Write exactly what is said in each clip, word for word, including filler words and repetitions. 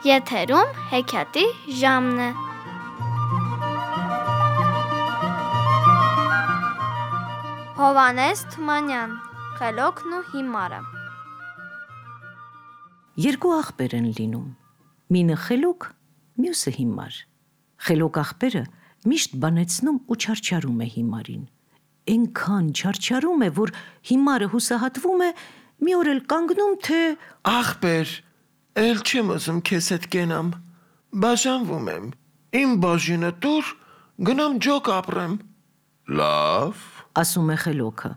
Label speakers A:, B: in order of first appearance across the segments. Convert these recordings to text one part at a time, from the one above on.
A: Եթերում հեքիաթի ժամն է։ Հովհաննես Թումանյան, Խելոքն ու հիմարը։
B: Երկու աղբեր են լինում, մինը խելոք, մյուսը հիմար։ Խելոք աղբերը միշտ բանեցնում ու չարչարում է հիմարին։ Էնքան չարչարում է, որ հիմարը հուսահատվում է, մի օր էլ կանգնում, թե
C: Աղբեր, էլ չեմ ուզում քեզ հետ կենամ, բաժանվում եմ, իմ բաժինը տուր, գնամ ջոկ ապրեմ։ Լավ,
B: ասում է խելոքը։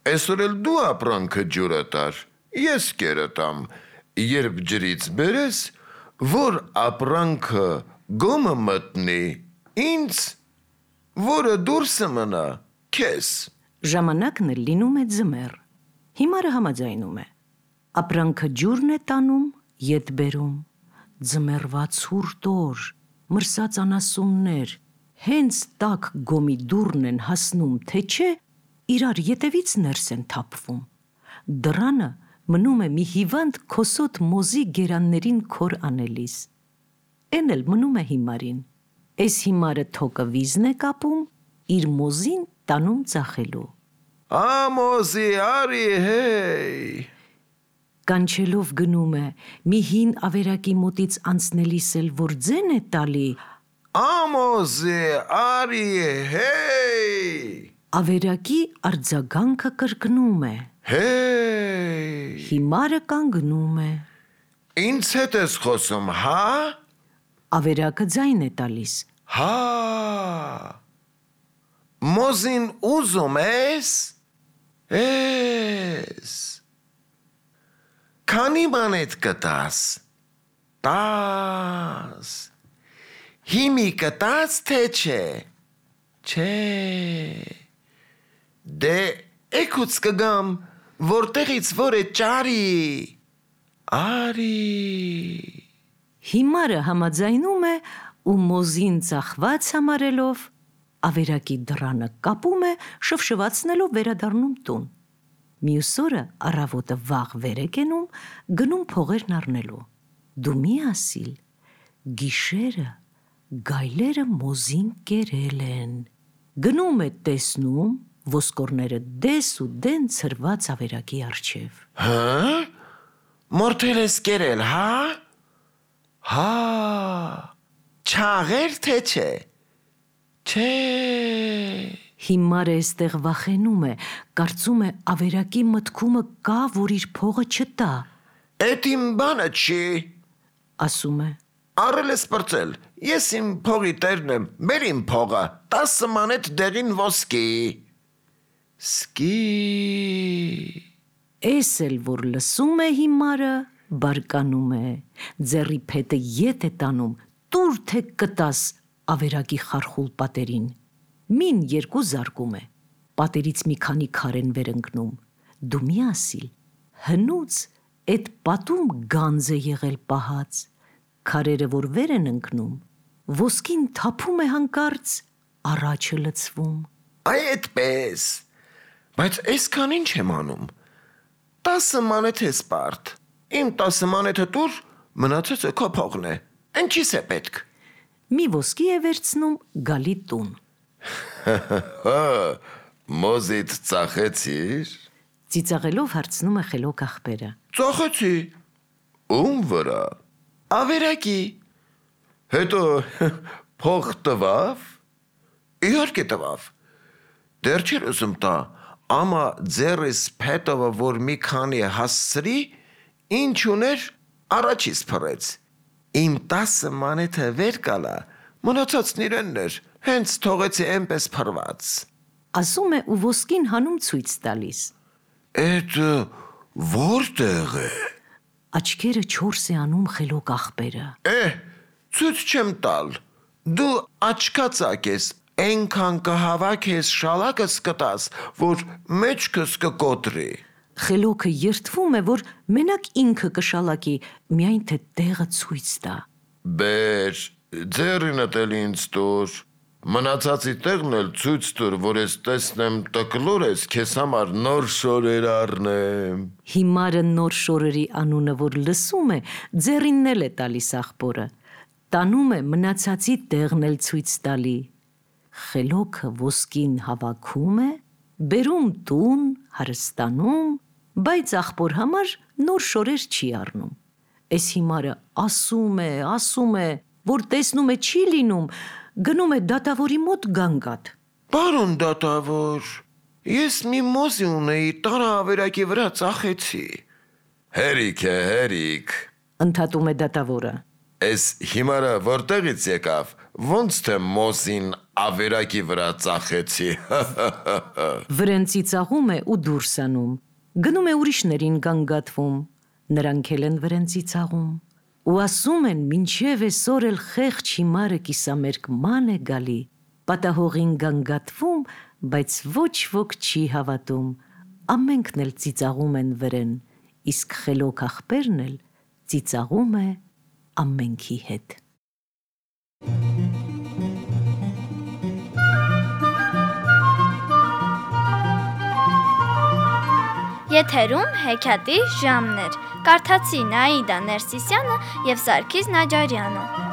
C: Այսօր էլ դու ապրանքը ջուրը տար, ես կերը տամ, երբ ջրից բերես, որ ապրանքը գոմը մտնի, ինձ, որը դուրսը մնա, քեզ։
B: Ժամանակն էլ լինում է ձմեռ։ Հիմարը համաձայնում է։ Ապրանքը ջուրն է տանում, ետ բերում, ձմեռվա ցուրտ օր, մրսած անասուններ, հենց տաք գոմի դուռն են հասնում, թե չէ, իրար ետևից ներս են թափվում։ Դռանը մնում է մի հիվանդ քոսոտ մոզի գերաններին քոր անելիս։ Էն էլ մնում է հիմարին։ Էս հիմարը թոկը վիզն է կապում, իր մոզին տանում ծախելու։
C: Ամոզի արի հեյ։
B: Կանչելով գնում է, մի հին ավերակի մոտից անցնելիս էլ որ ձեն է տալի,
C: Ամոզի արի հեյ։
B: ավերակի արձագանքը կրկնում է։
C: Հեյ։
B: Հիմարը կանգնում է։
C: Ինձ հետ ես խոսում, հա։
B: Ավերակը ձայն է տալիս։
C: Հա։ Մոզին ուզում ես։ Ես։ Քանի մանետ կտաս։ Տաս։ Հիմի կտաս թե չէ։ Չէ։ Դե էքուց կգամ, որտեղից որ է ճարի։ Արի։
B: Հիմարը համաձայնում է ու մոզին ծախված համարելով, ավերակի դռանը կապում է, շվշվացնելով վերադառնում տուն։ Մյուս օրը առավոտը վաղ վեր է կենում, գնում փողերն առնելու։ Դու մի ասիլ, գիշերը գայլերը մոզին կերել են։ Գնում է տեսնում, ոսկորները դես ու դեն ցրված ավերակի առջև։
C: Հա՞։ Մորթել ես կերել, հա։ Հա։ Չաղեր թե չէ։ Չէ։
B: Հիմարը էստեղ վախենում է, կարծում է ավերակի մտքումը կա, որ իր փողը չտա։
C: Էդ իմ բանը չի։
B: Ասում է։
C: Առել ես պրծել, ես իմ փողի տերն եմ, բեր իմ փողը, տասը մանետ դեղին ոսկի։ Սկի։
B: Էս էլ որ լսում է հիմարը, բարկանում է, ձեռի փետը ետ է տանում, տուր թե կտաս ավերակի խարխուլ պատերին։ Մին երկու զարկում է, պատերից մի քանի քար են վեր ընկնում։ Դու մի ասիլ, հնուց էդ պատում գանձ է եղել պահած, քարերը որ վեր են ընկնում, ոսկին թափում է հանկարծ, առաջը լցվում։
C: Այ էդպես, բայց այսքան ինչ եմ անում, տասը մանետ ես պարդ, իմ տասը մանետը տուր, մնացածը քո փողն է, ինչիս է պետք։
B: Մի ոսկի է վերցնում գալի տուն։
C: Մոզիդ ծախեցիր։
B: Ծիծաղելով հարցնում է խելոք աղբերը։
C: Ծախեցի։ Ում վրա։ Ավերակի։ Հետո փող տվավ։ Իհարկե տվավ։ Դեռ չէր ուզում տա, ամա ձեռիս փետովը որ մի քանի հասցրի, ինչ ուներ առաջից փռեց։ Իմ տասը մանեթը վեր կալա, մնացածն իրենն էր, հենց թողեցի այնպես փռված։
B: Ասում է ու ոսկին հանում ցույց տալիս։
C: Էդ որտեղ է։
B: Աչքերը չորս է անում խելոք աղբերը։
C: Է, ցույց չեմ տալ։ Դու աչքացակ ես, այնքան կհավաք ես շալակս կտաս, որ մեջքս կկոտրի։
B: Խելոքը երդվում է, որ մենակ ինքը կշալակի, միայն թե տեղը ցույց տա։
C: Բեր, ձեռինդ էլ ինձ տուր, Մնացածի տեղն էլ ցույց տուր, որ ես տեսնեմ տկլոր ես, քեզ համար նոր շորեր առնեմ։
B: Հիմարը նոր շորերի անունը որ լսում է, ձեռինն էլ է տալիս աղբորը, տանում է մնացածի տեղն էլ ցույց տալի։ Խելոքը ոսկին հավաքում է, բերում տուն, հարստանում, բայց աղբոր համար նոր շորեր չի առնում։ Էս հիմարը ասում է, ասում է, որ տեսնում է չի լինում, գնում է դատավորի մոտ գանգատ։
C: Պարոն դատավոր, ես մի մոզի ունեի, տարավերակի վրա ծախեցի։ Հերիք է, հերիք։
B: Ընդհատում է դատավորը։
C: Էս հիմարը որտեղից եկավ, ոնց թե մոզին ավերակի վրա ծախեցի։
B: Վրեն ծիծաղում է ու դուրս անում, գնում է ուրիշներին գանգատվում, նրանք էլ են վրեն ծիծաղում ու ասում են, մինչև այսօր էլ խեղճ հիմարը կիսամերկ ման է գալի, պատահողին գանգատվում, բայց ոչ ոք չի հավատում, ամենքն էլ ծիծաղում են վրեն, իսկ խելոք աղբերն էլ ծիծաղում է ամենքի հետ։
A: Եթերում հեքիաթի ժամն էր։ Կարդացին Աիդա Ներսիսյանը և Սարգիս Նաջարյանը։